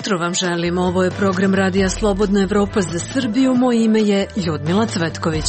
jutro vam želim. Ovo je program Radija Slobodna Evropa za Srbiju. Moje ime je Ljudmila Cvetković.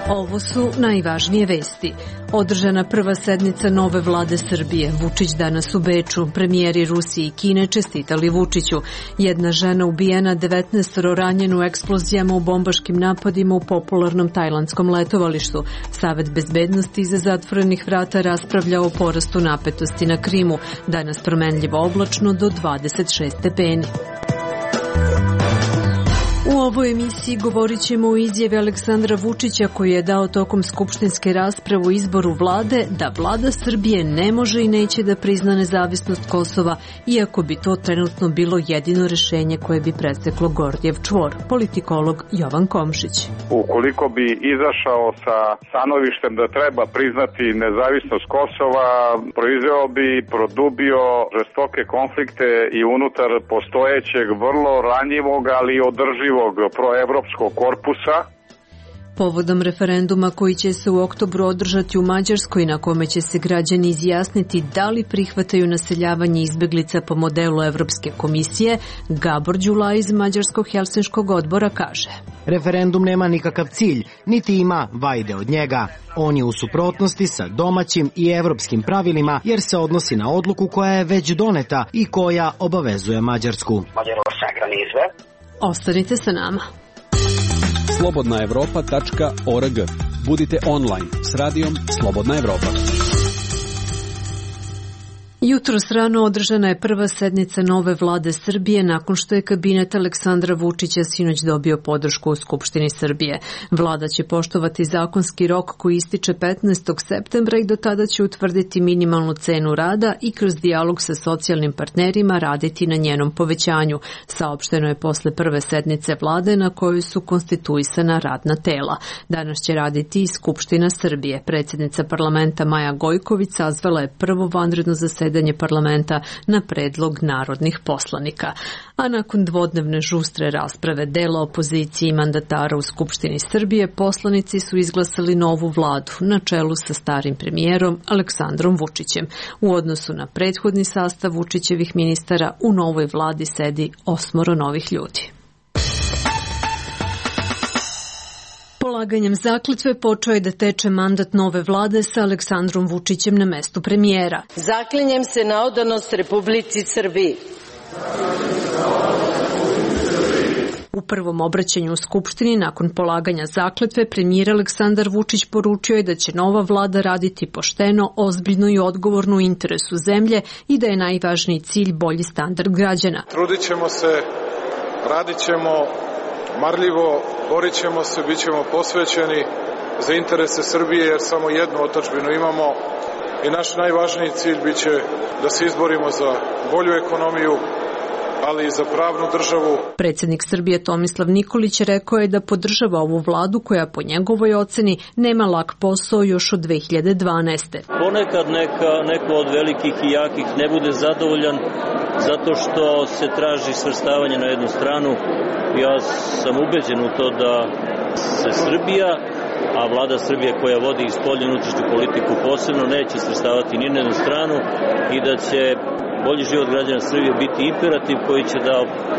Ovo su najvažnije vesti. Održana prva sednica nove vlade Srbije. Vučić danas u Beču. Premijeri Rusije i Kine čestitali Vučiću. Jedna žena ubijena, 19 ranjeno u eksplozijama u bombaškim napadima u popularnom tajlandskom letovalištu. Savet bezbednosti iza zatvorenih vrata raspravlja o porastu napetosti na Krimu. Danas promenljivo oblačno do 26 stepeni. U ovoj emisiji govorit ćemo o izjavi Aleksandra Vučića koji je dao tokom skupštinske rasprave o izboru vlade da vlada Srbije ne može i neće da prizna nezavisnost Kosova, iako bi to trenutno bilo jedino rešenje koje bi preseklo Gordijev čvor, politikolog Jovan Komšić. Ukoliko bi izašao sa stanovištem da treba priznati nezavisnost Kosova, proizveo bi, produbio žestoke konflikte i unutar postojećeg vrlo ranjivog, ali održivog proevropskog korpusa. Povodom referenduma koji će se u oktobru održati u Mađarskoj, na kome će se građani izjasniti da li prihvataju naseljavanje izbeglica po modelu Evropske komisije, Gabor Đulaj iz Mađarskog helsinškog odbora kaže: referendum nema nikakav cilj, niti ima vajde od njega. On je u suprotnosti sa domaćim i evropskim pravilima jer se odnosi na odluku koja je već doneta i koja obavezuje Mađarsku. Ostanite sa nama. slobodnaevropa.org. Budite online s radijom Slobodna Evropa. Jutros rano održana je prva sednica nove vlade Srbije nakon što je kabinet Aleksandra Vučića sinoć dobio podršku u Skupštini Srbije. Vlada će poštovati zakonski rok koji ističe 15. septembra i do tada će utvrditi minimalnu cenu rada i kroz dijalog sa socijalnim partnerima raditi na njenom povećanju. Saopšteno je posle prve sednice vlade na kojoj su konstituisana radna tela. Danas će raditi i Skupština Srbije. Predsjednica parlamenta Maja Gojković sazvala je prvo vanredno zasedanje parlamenta na predlog narodnih poslanika. A nakon dvodnevne žustre rasprave dela opozicije i mandatara u Skupštini Srbije, poslanici su izglasali novu vladu na čelu sa starim premijerom Aleksandrom Vučićem. U odnosu na prethodni sastav Vučićevih ministara, u novoj vladi sedi 8 novih ljudi. Polaganjem zakletve počeo je da teče mandat nove vlade sa Aleksandrom Vučićem na mestu premijera. Zaklinjem se na odanost Republici Srbiji. U prvom obraćanju u Skupštini nakon polaganja zakletve premijer Aleksandar Vučić poručio je da će nova vlada raditi pošteno, ozbiljno i odgovorno u interesu zemlje i da je najvažniji cilj bolji standard građana. Trudit ćemo se, radit ćemo marljivo, borit ćemo se, bit ćemo posvećeni za interese Srbije jer samo jednu otadžbinu imamo i naš najvažniji cilj bit će da se izborimo za bolju ekonomiju, ali i za pravnu državu. Predsjednik Srbije Tomislav Nikolić rekao je da podržava ovu vladu koja po njegovoj oceni nema lak posao još od 2012. Ponekad neko od velikih i jakih ne bude zadovoljan zato što se traži svrstavanje na jednu stranu. Ja sam ubeđen u to da se Srbija, a vlada Srbije koja vodi spoljnu unutrašnju politiku posebno, neće svrstavati ni na jednu stranu i da će bolji život građana Srbije biti imperativ koji će da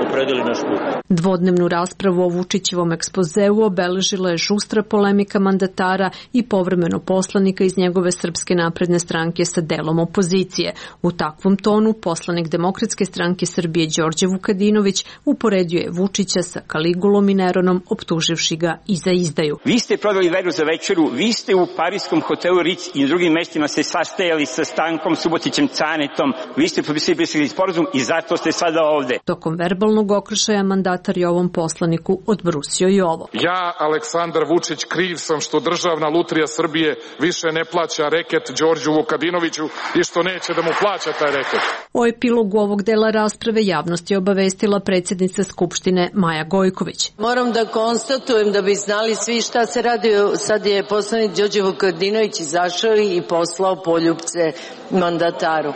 opredeli naš put. Dvodnevnu raspravu o Vučićevom ekspozeu obeležila je žustra polemika mandatara i povremeno poslanika iz njegove Srpske napredne stranke sa delom opozicije. U takvom tonu poslanik Demokratske stranke Srbije Đorđe Vukadinović uporedio je Vučića sa Kaligulom i Neronom, optuživši ga i za izdaju. Vi ste prodali veru za večeru, vi ste u parijskom hotelu Ritz i drugim mestima se sastajali sa Stankom Subotićem Canetom, vi ste potpisali sporazum i zato ste sada ovde. Tokom verbalnog okršaja mandatar je ovom poslaniku odbrusio i ovo. Ja, Aleksandar Vučić, kriv sam što Državna lutrija Srbije više ne plaća reket Đorđu Vukadinoviću i što neće da mu plaća taj reket. O epilogu ovog dela rasprave javnost je obavestila predsjednica Skupštine Maja Gojković. Moram da konstatujem da bi znali svi šta se radi. Sad je poslanik Đorđe Vukadinović izašao i poslao poljupce mandataru.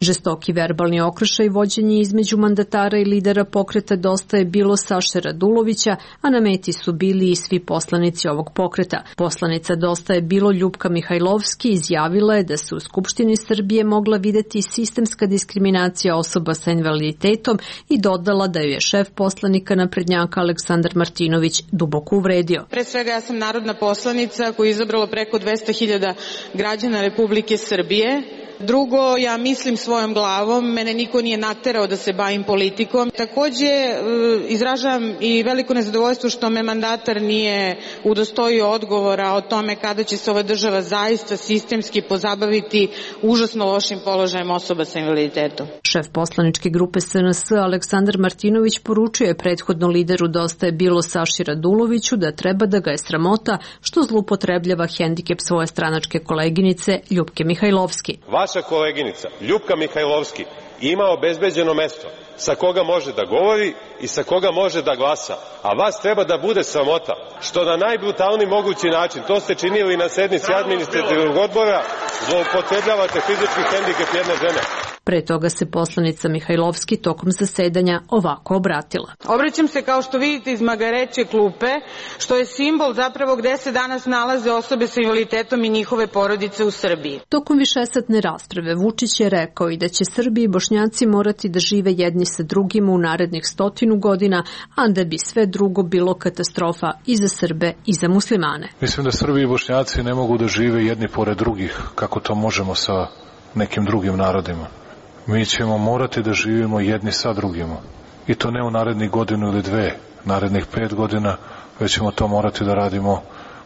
Žestoki verbalni okršaj vođenje između mandatara i lidera pokreta Dosta je bilo Saše Radulovića, a na meti su bili i svi poslanici ovog pokreta. Poslanica Dosta je bilo Ljupka Mihajlovski izjavila je da se u Skupštini Srbije mogla videti sistemska diskriminacija osoba sa invaliditetom i dodala da ju je šef poslanika naprednjaka Aleksandar Martinović duboko uvredio. Pre svega ja sam narodna poslanica koju je izabralo preko 200.000 građana Republike Srbije. Drugo, ja mislim svojom glavom, mene niko nije naterao da se bavim politikom. Takođe, izražavam i veliko nezadovoljstvo što me mandatar nije udostojio odgovora o tome kada će se ova država zaista sistemski pozabaviti užasno lošim položajem osoba sa invaliditetom. Šef poslaničke grupe SNS Aleksandar Martinović poručio je prethodno lideru Dosta je bilo Saši Raduloviću da treba da ga je sramota što zloupotrebljava hendikep svoje stranačke koleginice Ljupke Mihajlovski. Vaša koleginica Ljupka Mihajlovski ima obezbeđeno mesto sa koga može da govori i sa koga može da glasa, a vas treba da bude sramota što na najbrutalniji mogući način, to ste činili na sednici administrativnog odbora, zloupotrebljavate fizički hendikep jedne žene. Pre toga se poslanica Mihajlovski tokom zasedanja ovako obratila. Obraćam se kao što vidite iz magareće klupe, što je simbol zapravo gde se danas nalaze osobe sa invaliditetom i njihove porodice u Srbiji. Tokom višesatne rasprave Vučić je rekao i da će Srbi i Bošnjaci morati da žive jedni sa drugima u narednih 100 godina, a da bi sve drugo bilo katastrofa i za Srbe i za muslimane. Mislim da Srbi i Bošnjaci ne mogu da žive jedni pored drugih, kako to možemo sa nekim drugim narodima. Mi ćemo morati da živimo jedni sa drugima. I to ne u narednih godinu ili dve, narednih 5 godina, već ćemo to morati da radimo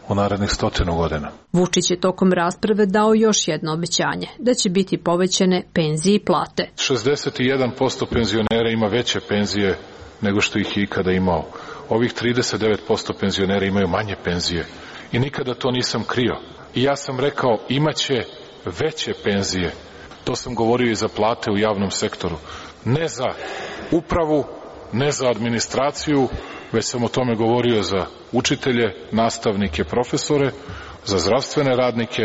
u narednih 100 godina. Vučić je tokom rasprave dao još jedno obećanje, da će biti povećane penzije i plate. 61% penzionera ima veće penzije nego što ih je ikada imao. Ovih 39% penzionera imaju manje penzije. I nikada to nisam krio. I ja sam rekao, imaće veće penzije. To sam govorio i za plate u javnom sektoru. Ne za upravu, ne za administraciju, već sam o tome govorio za učitelje, nastavnike, profesore, za zdravstvene radnike,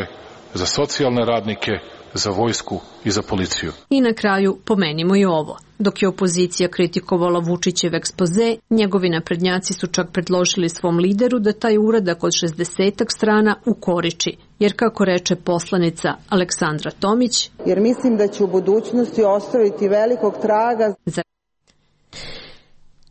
za socijalne radnike, za vojsku i za policiju. I na kraju pomenimo i ovo. Dok je opozicija kritikovala Vučićev ekspoze, njegovi naprednjaci su čak predložili svom lideru da taj uradak od 60 strana ukoriči. Jer kako reče poslanica Aleksandra Tomić, jer mislim da će u budućnosti ostaviti velikog traga.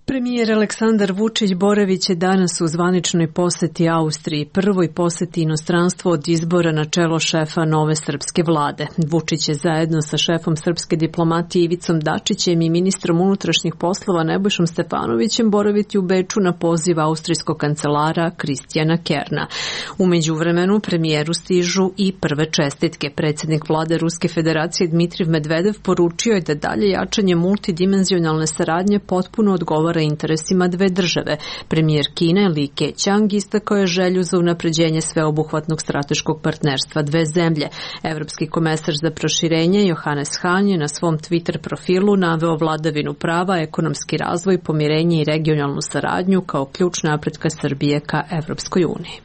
Premijer Aleksandar Vučić boravit će danas u zvaničnoj poseti Austriji, prvoj poseti inostranstvu od izbora na čelo šefa nove srpske vlade. Vučić je zajedno sa šefom srpske diplomatije Ivicom Dačićem i ministrom unutrašnjih poslova Nebojšom Stefanovićem boraviti u Beču na poziv austrijskog kancelara Kristijana Kerna. U međuvremenu premijeru stižu i prve čestitke. Predsjednik vlade Ruske federacije Dmitrijev Medvedev poručio je da dalje jačanje multidimenzionalne saradnje potpuno odgovara interesima dve države. Premijer Kine Li Keqiang istakao je želju za unapređenje sveobuhvatnog strateškog partnerstva dve zemlje. Evropski komesar za proširenje Johannes Hahn je na svom Twitter profilu naveo vladavinu prava, ekonomski razvoj, pomirenje i regionalnu saradnju kao ključ napretka Srbije ka Evropskoj uniji.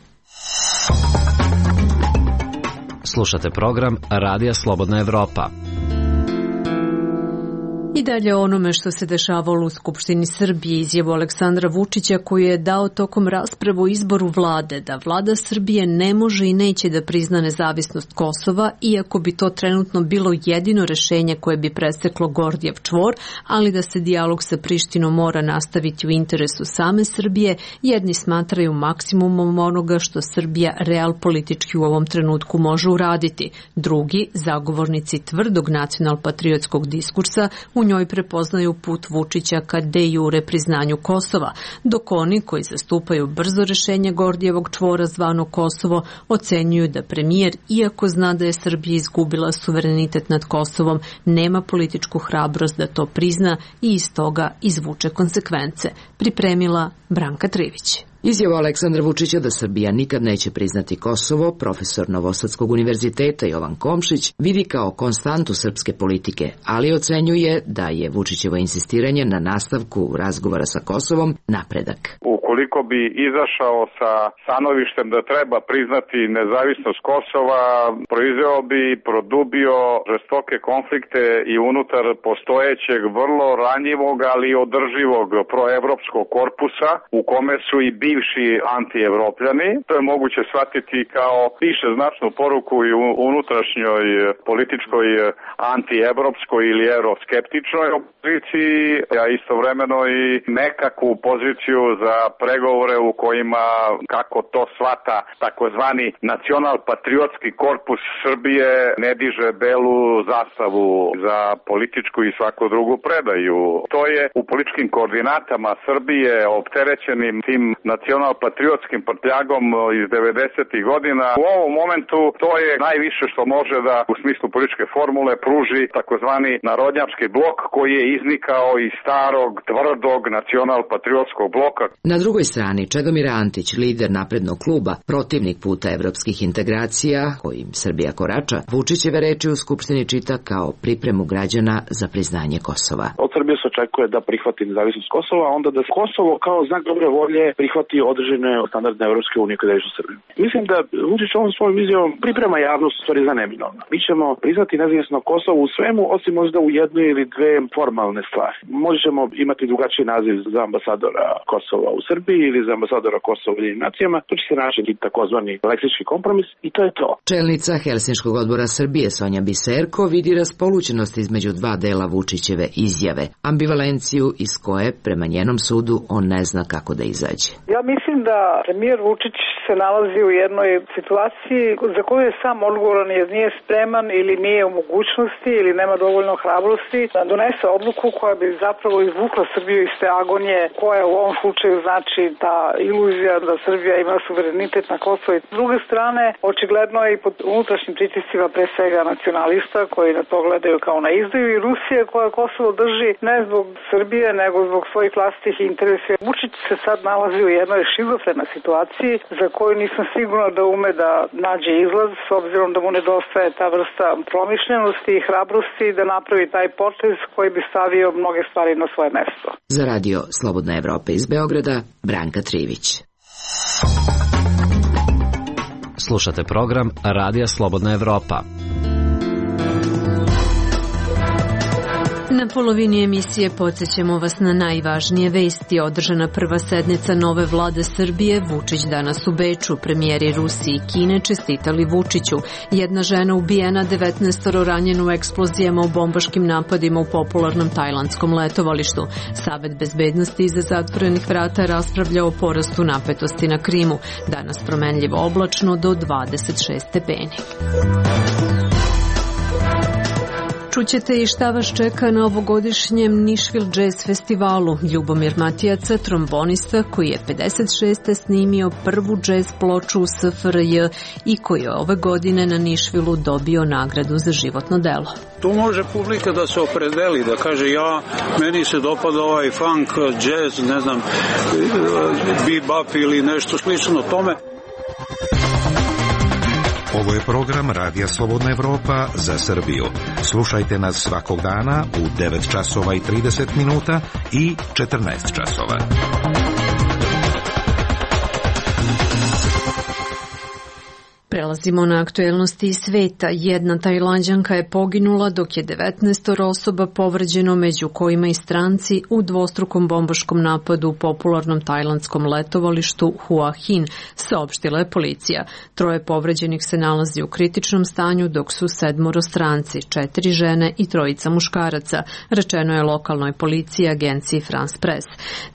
Slušate program Radija Slobodna Evropa. I dalje onome što se dešavalo u Skupštini Srbije, izjavu Aleksandra Vučića koju je dao tokom rasprave o izboru vlade, da vlada Srbije ne može i neće da prizna nezavisnost Kosova, iako bi to trenutno bilo jedino rešenje koje bi preseklo Gordijev čvor, ali da se dijalog sa Prištinom mora nastaviti u interesu same Srbije, jedni smatraju maksimumom onoga što Srbija real politički u ovom trenutku može uraditi. Drugi, zagovornici tvrdog nacional-patriotskog diskursa, u njoj prepoznaju put Vučića ka de jure priznanju Kosova, dok oni koji zastupaju brzo rešenje Gordijevog čvora zvano Kosovo ocenjuju da premijer, iako zna da je Srbija izgubila suverenitet nad Kosovom, nema političku hrabrost da to prizna i iz toga izvuče konsekvence. Pripremila Branka Trivić. Izjava Aleksandra Vučića da Srbija nikad neće priznati Kosovo, profesor Novosadskog univerziteta Jovan Komšić vidi kao konstantu srpske politike, ali ocenjuje da je Vučićevo insistiranje na nastavku razgovora sa Kosovom napredak. Ukoliko bi izašao sa stanovištem da treba priznati nezavisnost Kosova, proizveo bi, produbio žestoke konflikte i unutar postojećeg vrlo ranjivog, ali održivog proevropskog korpusa u kome su i bivši antievropljani. To je moguće shvatiti kao više značnu poruku i unutrašnjoj političkoj antievropskoj ili euroskeptičnoj opoziciji, a istovremeno i nekakvu poziciju za pregovore u kojima, kako to shvata takozvani nacional-patriotski korpus Srbije, ne diže belu zastavu za političku i svaku drugu predaju. To je u političkim koordinatama Srbije opterećenim tim nacional-patriotskim prtljagom iz 90. godina. U ovom momentu to je najviše što može da u smislu političke formule pruži takozvani narodnjački blok koji je iznikao iz starog, tvrdog nacional-patriotskog bloka. Na drugoj strani Čedomir Antić, lider naprednog kluba, protivnik puta evropskih integracija kojim Srbija korača, Vučićeve reči u Skupštini čita kao pripremu građana za priznanje Kosova. Od Srbije se očekuje da prihvati nezavisnost Kosova, a onda da Kosovo kao znak dobre volje prihvati određene standardne Evropske unije kada je u Srbiji. Mislim da Vučić ovom svojom vizijom priprema javnost u stvari za neminovno. Mi ćemo priznati nezavisno Kosovo u svemu, osim možda u jednoj ili dve formalne stvari. Možemo imati drugačiji naziv za ambasadora Kosova u Srbiji ili za ambasadora Kosova u Ujedinjenim nacijama. To će se naći takozvani leksički kompromis i to je to. Čelnica Helsinškog odbora Srbije Sonja Biserko vidi raspolućenost između dva dela Vučićeve izjave, ambivalenciju iz koje, prema njenom sudu, on ne zna kako da izađe. Ja mislim da premijer Vučić se nalazi u jednoj situaciji za koju je sam odgovoran jer nije spreman ili nije u mogućnosti ili nema dovoljno hrabrosti da donese odluku koja bi zapravo izvukla Srbiju iz te agonije koja u ovom slučaju znači ta iluzija da Srbija ima suverenitet na Kosovo. S druge strane, očigledno je i pod unutrašnjim pritiscima pre svega nacionalista koji na to gledaju kao na izdaju i Rusije koja Kosovo drži ne zbog Srbije nego zbog svojih vlastitih interesa. Vučić se sad nalazi u jednoj šizofrenoj situaciji za koju nisam sigurna da ume da nađe izlaz s obzirom da mu nedostaje ta vrsta promišljenosti i hrabrosti da napravi taj potez koji bi stavio mnoge stvari na svoje mesto. Za radio Slobodna Evropa iz Beograda, Branka Trivić. Slušate program Radija Slobodna Evropa. Na polovini emisije podsjećamo vas na najvažnije vesti. Održana prva sednica nove vlade Srbije, Vučić danas u Beču, premijeri Rusije i Kine čestitali Vučiću. Jedna žena ubijena, 19 ranjeno u eksplozijama u bombaškim napadima u popularnom tajlandskom letovalištu. Savet bezbednosti iza zatvorenih vrata raspravlja o porastu napetosti na Krimu. Danas promenljivo oblačno do 26 stepeni. Čućete i šta vas čeka na ovogodišnjem Nišvil Jazz festivalu. Ljubomir Matijaca, trombonista koji je 56. snimio prvu jazz ploču u SFRJ i koji je ove godine na Nišvilu dobio nagradu za životno delo. Tu može publika da se opredeli, da kaže meni se dopada ovaj funk, jazz, ne znam, bebop ili nešto slično tome. Ovo je program Radija Slobodna Evropa za Srbiju. Slušajte nas svakog dana u 9 časova i 30 minuta i 14 časova. Prelazimo na aktuelnosti iz sveta. Jedna Tajlanđanka je poginula dok je 19 osoba povređeno, među kojima i stranci, u dvostrukom bombaškom napadu u popularnom tajlandskom letovalištu Hua Hin, saopštila je policija. 3 povređenih se nalazi u kritičnom stanju, dok su 7 stranci, 4 žene i 3 muškaraca, rečeno je lokalnoj policiji agenciji France Press.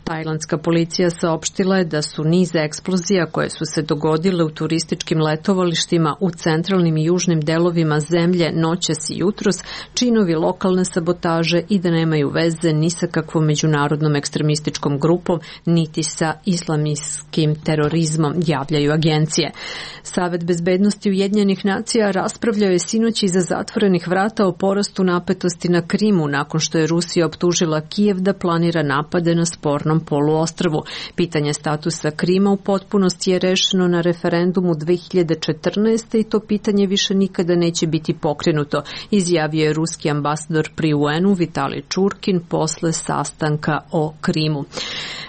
Tajlandska policija saopštila je da su niz eksplozija koje su se dogodile u turističkim letovalištima odlagalištima u centralnim i južnim delovima zemlje noćas i jutros, činovi lokalne sabotaže i da nemaju veze ni sa kakvom međunarodnom ekstremističkom grupom, niti sa islamskim terorizmom, javljaju agencije. Savet bezbednosti Ujedinjenih nacija raspravljao je sinoć iza zatvorenih vrata o porastu napetosti na Krimu nakon što je Rusija optužila Kijev da planira napade na spornom poluostrvu. Pitanje statusa Krima u potpunosti je rešeno na referendumu 2014. i to pitanje više nikada neće biti pokrenuto, izjavio je ruski ambasador pri UN-u Vitalij Čurkin posle sastanka o Krimu.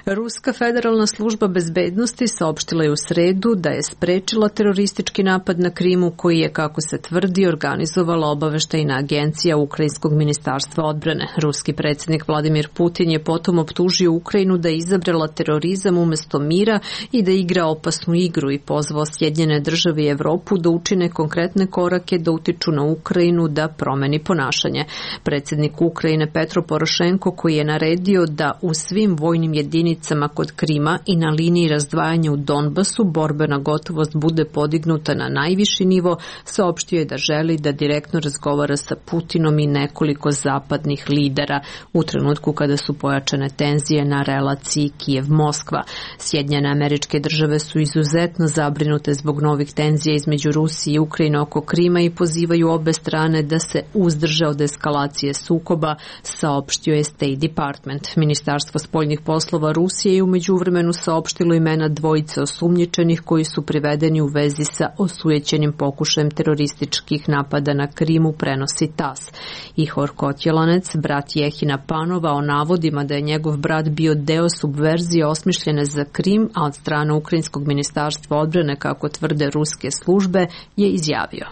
Ruska federalna služba bezbednosti saopštila je u sredu da je sprečila teroristički napad na Krimu koji je, kako se tvrdi, organizovala obaveštajna agencija Ukrajinskog ministarstva odbrane. Ruski predsjednik Vladimir Putin je potom optužio Ukrajinu da je izabrala terorizam umjesto mira i da igra opasnu igru i pozvao Sjedinjene države i Evropu da učine konkretne korake da utiču na Ukrajinu da promeni ponašanje. Predsjednik Ukrajine Petro Porošenko, koji je naredio da u svim vojnim jedinicama kod Krima i na liniji razdvajanja u Donbasu borbena gotovost bude podignuta na najviši nivo, saopštio je da želi da direktno razgovara sa Putinom i nekoliko zapadnih lidera u trenutku kada su pojačane tenzije na relaciji Kijev-Moskva. Sjedinjene Američke Države su izuzetno zabrinute zbog novih tenzija između Rusije i Ukrajine oko Krima i pozivaju obe strane da se uzdrže od eskalacije sukoba, saopštio je State Department. Ministarstvo spoljnih poslova Rusije je u međuvremenu saopštilo imena dvojice osumnjičenih koji su privedeni u vezi sa osujećenim pokušajem terorističkih napada na Krimu, prenosi TASS. Ihor Kotjelanec, brat Jehina Panova, o navodima da je njegov brat bio deo subverzije osmišljene za Krim, a od strane Ukrajinskog ministarstva odbrane, kako tvrde ruske službe, je izjavio.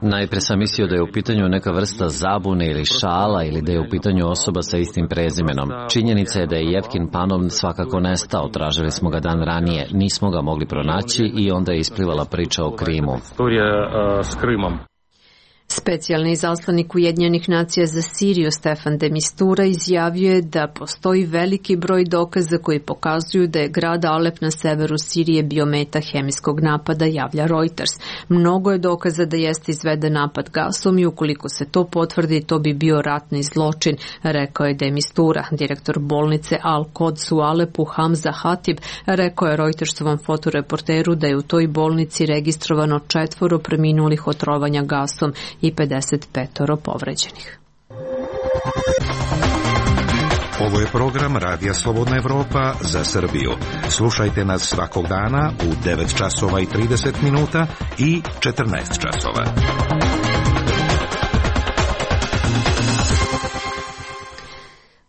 Najpre sam mislio da je u pitanju neka vrsta zabune ili šala ili da je u pitanju osoba sa istim prezimenom. Činjenica je da je Jevkin Panov svakako nestao, tražili smo ga dan ranije, nismo ga mogli pronaći i onda je isplivala priča o Krimu. Specijalni izaslanik Ujedinjenih nacija za Siriju Stefan de Mistura izjavio je da postoji veliki broj dokaza koji pokazuju da je grad Alep na severu Sirije bio meta hemijskog napada, javlja Reuters. Mnogo je dokaza da jeste izveden napad gasom i ukoliko se to potvrdi, to bi bio ratni zločin, rekao je de Mistura. Direktor bolnice Al-Quds u Alepu Hamza Hatib rekao je Reutersovom fotoreporteru da je u toj bolnici registrovano 4 preminulih od trovanja gasom i 55 povređenih. Ovo je program Radija Slobodna Evropa za Srbiju. Slušajte nas svakog dana u 9 časova i 30 minuta i 14 časova.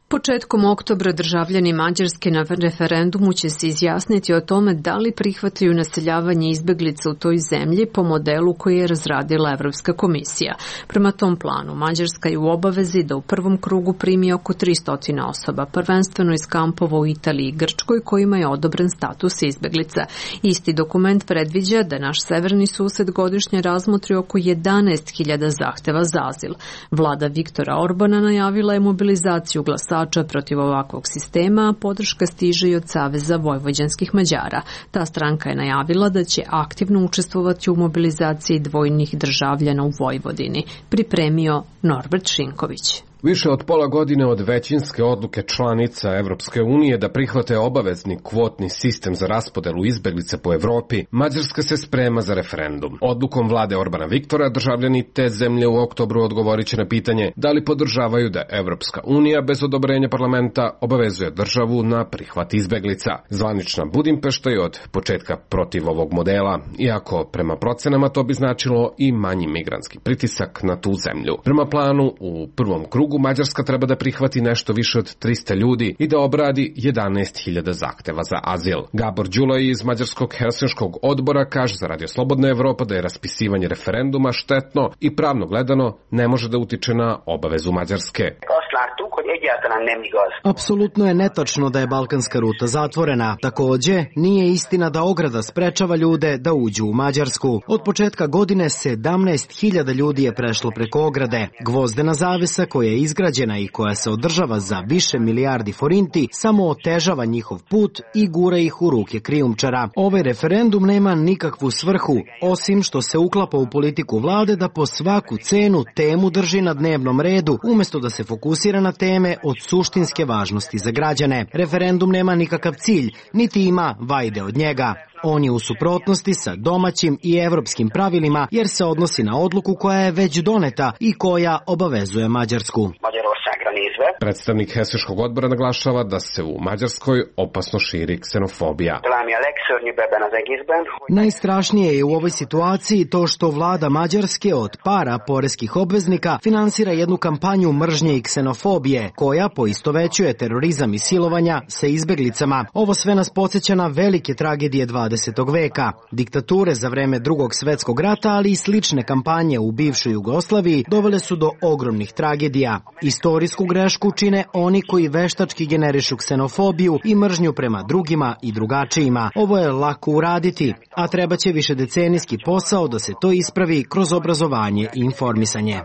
Početkom oktobra državljani Mađarske na referendumu će se izjasniti o tome da li prihvataju naseljavanje izbeglica u toj zemlji po modelu koji je razradila Evropska komisija. Prema tom planu, Mađarska je u obavezi da u prvom krugu primi oko 300 osoba, prvenstveno iz kampova u Italiji i Grčkoj kojima je odobren status izbeglica. Isti dokument predviđa da naš severni sused godišnje razmotri oko 11.000 zahteva za azil. Vlada Viktora Orbana najavila je mobilizaciju glasača protiv ovakvog sistema, a podrška stiže i od Saveza vojvođanskih Mađara. Ta stranka je najavila da će aktivno učestvovati u mobilizaciji dvojnih državljana u Vojvodini, pripremio Norbert Šinković. Više od pola godine od većinske odluke članica Evropske unije da prihvate obavezni kvotni sistem za raspodelu izbeglica po Evropi, Mađarska se sprema za referendum. Odlukom vlade Orbana Viktora državljani te zemlje u oktobru odgovorit će na pitanje da li podržavaju da Evropska unija bez odobrenja parlamenta obavezuje državu na prihvat izbeglica. Zvanična Budimpešta je od početka protiv ovog modela, iako prema procenama to bi značilo i manji migrantski pritisak na tu zemlju. Prema planu, u prvom krugu Mađarska treba da prihvati nešto više od 300 ljudi i da obradi 11.000 zahteva za azil. Gabor Đulaj iz Mađarskog Helsinškog odbora kaže za Radio Slobodna Evropa da je raspisivanje referenduma štetno i pravno gledano ne može da utiče na obavezu Mađarske. azt láttuk, hogy egyáltalán nem igaz. Apsolutno je netačno da je balkanska ruta zatvorena. Takođe, nije istina da ograda sprečava ljude da uđu u Mađarsku. Od početka godine 17.000 ljudi je prešlo preko ograde. Gvozdena zavesa koja je izgrađena i koja se održava za više milijardi forinti samo otežava njihov put i gura ih u ruke krijumčara. Ovaj referendum nema nikakvu svrhu, osim što se uklapa u politiku vlade da po svaku cenu temu drži na dnevnom redu, umesto da se fokusira na teme od suštinske važnosti za građane. Referendum nema nikakav cilj, niti ima vajde od njega. On je u suprotnosti sa domaćim i evropskim pravilima jer se odnosi na odluku koja je već doneta i koja obavezuje Mađarsku. Predstavnik Helsinškog odbora naglašava da se u Mađarskoj opasno širi ksenofobija. Najstrašnije je u ovoj situaciji to što vlada Mađarske od para poreskih obveznika finansira jednu kampanju mržnje i ksenofobije koja poistovećuje terorizam i silovanja sa izbeglicama. Ovo sve nas podsjeća na velike tragedije 20. veka. Diktature za vreme Drugog svetskog rata, ali i slične kampanje u bivšoj Jugoslaviji dovele su do ogromnih tragedija. Istorijsku grešku čine oni koji veštački generišu ksenofobiju i mržnju prema drugima i drugačijima. Ovo je lako uraditi, a trebaće višedecenijski posao da se to ispravi kroz obrazovanje i informisanje.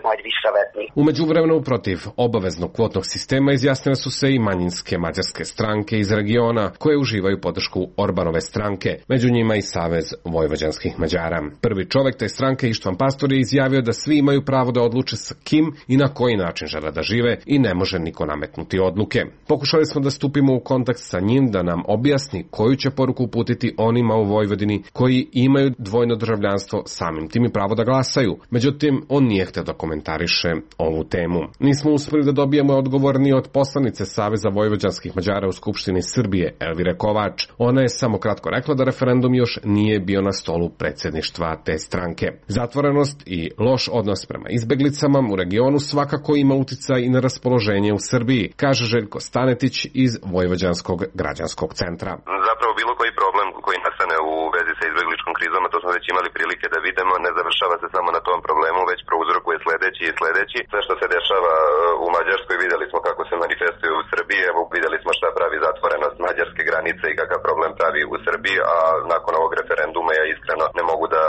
U međuvremenu protiv obaveznog kvotnog sistema izjasnile su se i manjinske mađarske stranke iz regiona koje uživaju podršku Orbanove stranke, među njima i Savez vojvođanskih Mađara. Prvi čovek te stranke Ištvan Pastor je izjavio da svi imaju pravo da odluče sa kim i na koji način žele da žive i ne može niko nametnuti odluke. Pokušali smo da stupimo u kontakt sa njim da nam objasni koju će poruku uputiti onima u Vojvodini koji imaju dvojno državljanstvo, samim tim i pravo da glasaju. Međutim, on nije hteo da komentariše ovu temu. Nismo uspeli da dobijemo odgovor ni od poslanice Saveza vojvođanskih Mađara u Skupštini Srbije, Elvire Kovač. Ona je samo kratko rekla da referendum još nije bio na stolu predsjedništva te stranke. Zatvorenost i loš odnos prema izbeglicama u regionu svakako ima uticaj i na raspoloženje u Srbiji, kaže Željko Stanetić iz Vojvođanskog građanskog centra. Zapravo bilo koji problem koji nastane u vezi sa izbegličkom krizom, a to smo već imali prilike da vidimo, ne završava se samo na tom problemu, već prouzrokuje sledeći i sledeći. Sve što se dešava u Mađarskoj videli smo kako se manifestuje u Srbiji, evo videli smo šta pravi zatvorenost mađarske granice i kakav problem pravi u Srbiji, a nakon ovog referenduma ja iskreno ne mogu da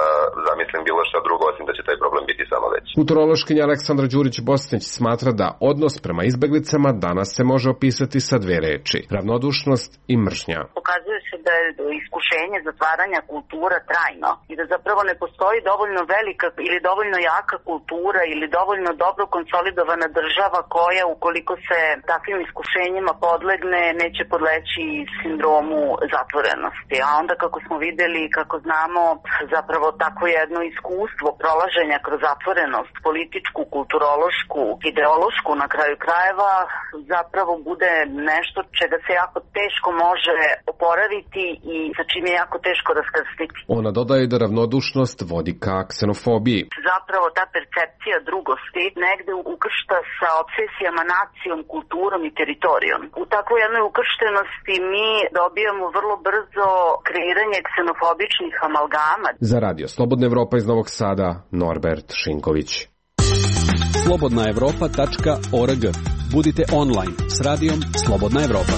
zamislim bilo šta drugo osim da će taj problem biti samo veći. Kulturološkinja Aleksandra Đurić-Bosnić smatra da odnos prema izbeglicama danas se može opisati sa dve reči: ravnodušnost i mržnja. Pokazuje se da je iskušenje zatvaranja kultura trajno i da zapravo ne postoji dovoljno velika ili dovoljno jaka kultura ili dovoljno dobro konsolidovana država koja, ukoliko se takvim iskušenjima podlegne, neće podleći sindromu zatvorenosti. A onda, kako smo videli i kako znamo, zapravo takvo jedno iskustvo prolaženja kroz zatvorenost, političku, kulturološku, ideološku na kraju krajeva, zapravo bude nešto čega se jako teško može oporaviti i sa čim je jako teško raskrsniti. Ona dodaje da ravnodušnost vodi ka ksenofobiji. Zapravo ta percepcija drugosti negde ukršta sa obsesijama nacijom, kulturom i teritorijom. U takvoj jednoj ukrštenosti mi dobijamo vrlo brzo kreiranje ksenofobičnih amalgama. Za Radio Slobodna Evropa iz Novog Sada, Norbert Šinković. slobodnaevropa.org. Budite online s radijom Slobodna Evropa.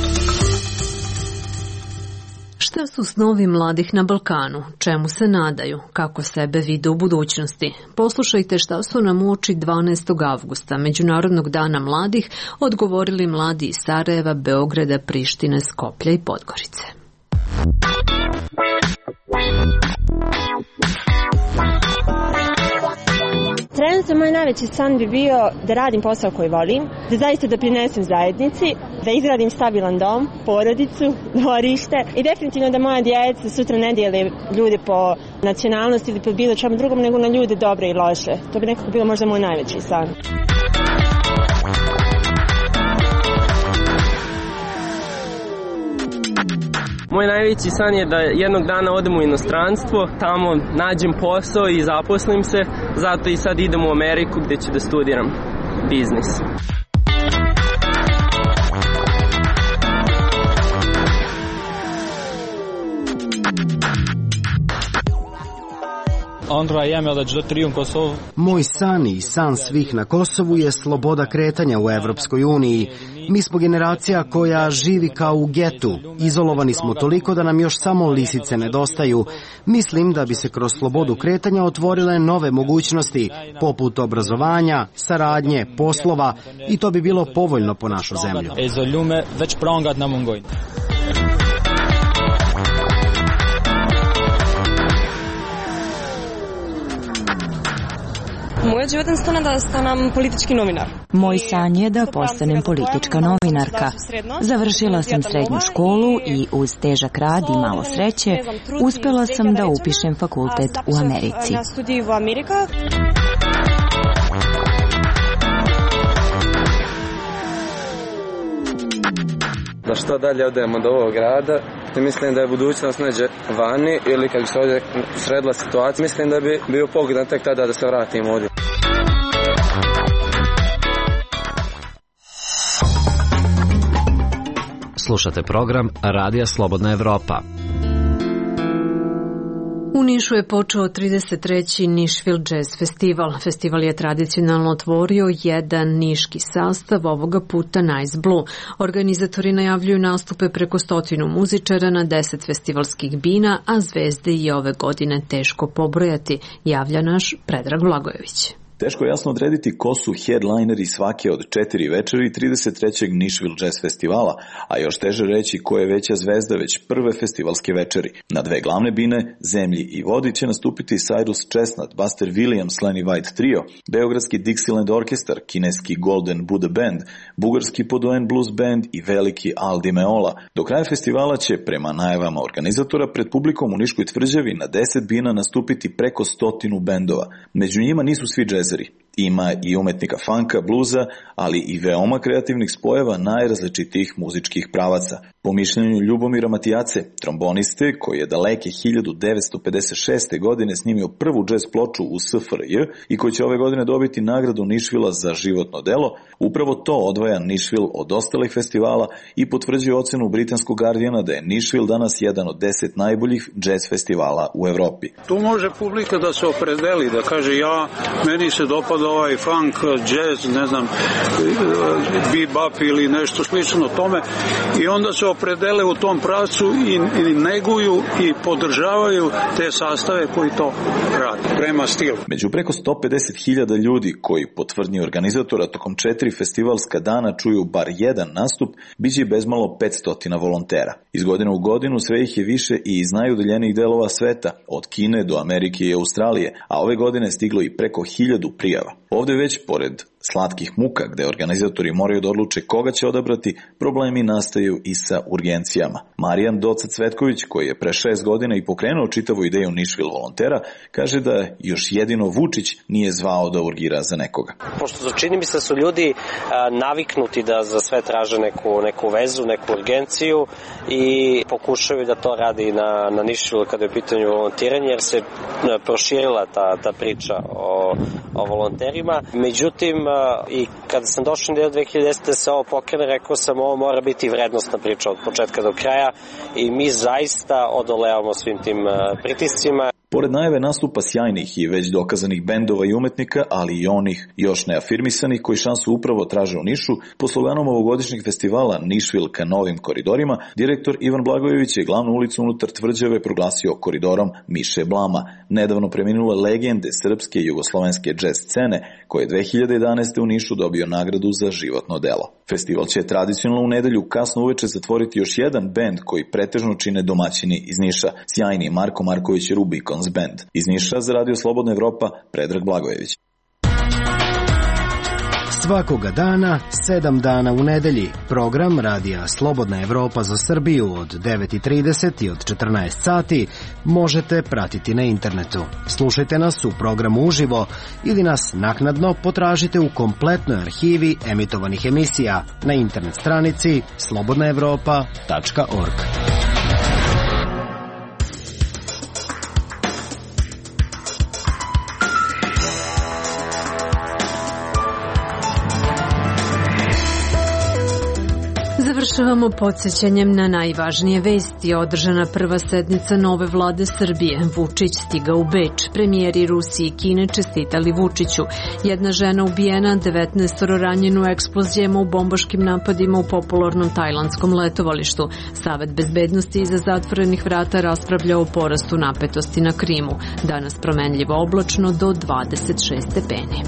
Šta su snovi mladih na Balkanu? Čemu se nadaju? Kako sebe vide u budućnosti? Poslušajte šta su nam uoči 12. avgusta, Međunarodnog dana mladih, odgovorili mladi iz Sarajeva, Beograda, Prištine, Skoplja i Podgorice. Trenutno moj najveći san bi bio da radim posao koji volim, da zaista doprinesem zajednici, da izgradim stabilan dom, porodicu, dvorište i definitivno da moja djeca sutra ne dijele ljude po nacionalnosti ili po bilo čemu drugom, nego na ljude dobre i loše. To bi nekako bilo možda moj najveći san. Moj najveći san je da jednog dana odem u inostranstvo, tamo nađem posao i zaposlim se, zato i sad idem u Ameriku gde ću da studiram biznis. Moj san i san svih na Kosovu je sloboda kretanja u Evropskoj uniji. Mi smo generacija koja živi kao u getu. Izolovani smo toliko da nam još samo lisice nedostaju. Mislim da bi se kroz slobodu kretanja otvorile nove mogućnosti, poput obrazovanja, saradnje, poslova, i to bi bilo povoljno po našu zemlju. Moja životna san je da stanem politički novinar. Moj san je da postanem politička novinarka. Završila sam srednju školu i uz težak rad i malo sreće uspela sam da upišem fakultet u Americi. Da što dalje odemo od ovog grada, mislim da je budućnost neđe vani ili kad bi se ovdje sredila situacija, mislim da bi bio pogodan tek tada da se vratim ovdje. Slušate program Radija Slobodna Evropa. U Nišu je počeo 33. Nashville Jazz Festival. Festival je tradicionalno otvorio jedan niški sastav, ovoga puta Nice Blue. Organizatori najavljuju nastupe preko 100 muzičara na 10 festivalskih bina, a zvezde i ove godine teško pobrojati, javlja naš Predrag Blagojević. Teško je jasno odrediti ko su headlineri svake od 4 večeri 33. Nashville Jazz Festivala, a još teže reći ko je veća zvezda već prve festivalske večeri. Na 2 glavne bine, Zemlji i vodi, će nastupiti Cyrus Chestnut, Buster Williams, Lenny White Trio, beogradski Dixieland Orkestar, kineski Golden Buddha Band, bugarski Poduen Blues Band i veliki Al Di Meola. Do kraja festivala će, prema najavama organizatora, pred publikom u Niškoj tvrđavi na 10 bina nastupiti preko 100 bendova. Među njima nisu svi džezeri. Ima i umetnika funka, bluza, ali i veoma kreativnih spojeva najrazličitijih muzičkih pravaca. Po mišljenju Ljubomira Matijace, tromboniste, koji je daleke 1956. godine snimio prvu džez ploču u SFRJ i koji će ove godine dobiti nagradu Nashvilla za životno delo, upravo to odvaja Nashville od ostalih festivala i potvrđuje ocenu britanskog Guardiana da je Nashville danas jedan od 10 najboljih džez festivala u Evropi. Tu može publika da se opredeli, da kaže meni se dopada ovaj funk, jazz, ne znam, bebop ili nešto slično tome, i onda se opredele u tom pravcu i neguju i podržavaju te sastave koji to rade prema stilu. Među preko 150.000 ljudi koji po tvrdnji organizatora tokom 4 festivalska dana čuju bar jedan nastup, biće bezmalo 500 volontera. Iz godine u godinu sve ih je više i iz najudaljenijih delova sveta, od Kine do Amerike i Australije, a ove godine stiglo i preko 1000 prijava. Ovde već, pored slatkih muka gde organizatori moraju da odluče koga će odabrati, problemi nastaju i sa urgencijama. Marijan Doca Cvetković, koji je pre 6 godina i pokrenuo čitavu ideju Nashville volontera, kaže da još jedino Vučić nije zvao da urgira za nekoga. Pošto čini mi se da su ljudi naviknuti da za sve traže neku vezu, neku urgenciju i pokušaju da to radi na Nashville kada je u pitanju volontiranje, jer se proširila ta priča o volonterima. Međutim, i kada sam došao do 2010. da se ovo pokrene, rekao sam ovo mora biti vrednostna priča od početka do kraja i mi zaista odolevamo svim tim pritiscima. Pored najave nastupa sjajnih i već dokazanih bendova i umetnika, ali i onih još neafirmisanih koji šansu upravo traže u Nišu, po sloganom ovogodišnjeg festivala Nashville ka novim koridorima, direktor Ivan Blagojević je glavnu ulicu unutar tvrđave proglasio koridorom Miše Blama, nedavno preminule legende srpske i jugoslovenske džez scene, koje je 2011. u Nišu dobio nagradu za životno delo. Festival će tradicionalno u nedelju kasno uveče zatvoriti još jedan bend koji pretežno čine domaćini iz Niša, sjajni Marko Marković Rubicon Band. Iz Niša za Radio Slobodna Evropa, Predrag Blagojević. Svakoga dana, 7 dana u nedelji, program Radija Slobodna Evropa za Srbiju od 9:30 i od 14 sati možete pratiti na internetu. Slušajte nas u programu uživo ili nas naknadno potražite u kompletnoj arhivi emitovanih emisija na internet stranici slobodnaevropa.org. Završavamo podsjećanjem na najvažnije vesti. Održana prva sednica nove vlade Srbije. Vučić stigao u Beč. Premijeri Rusije i Kine čestitali Vučiću. Jedna žena ubijena, 19 ranjeno u eksplozijama u bombaškim napadima u popularnom tajlandskom letovalištu. Savet bezbednosti iza zatvorenih vrata raspravlja o porastu napetosti na Krimu. Danas promenljivo oblačno do 26 stepeni.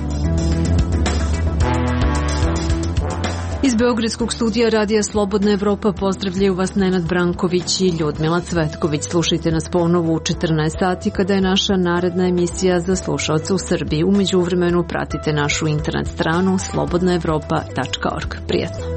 Iz Beogradskog studija Radija Slobodna Evropa pozdravljaju vas Nenad Branković i Ljudmila Cvetković. Slušajte nas ponovo u 14 sati kada je naša naredna emisija za slušaoce u Srbiji. U međuvremenu pratite našu internet stranu slobodnaevropa.org. Prijetno.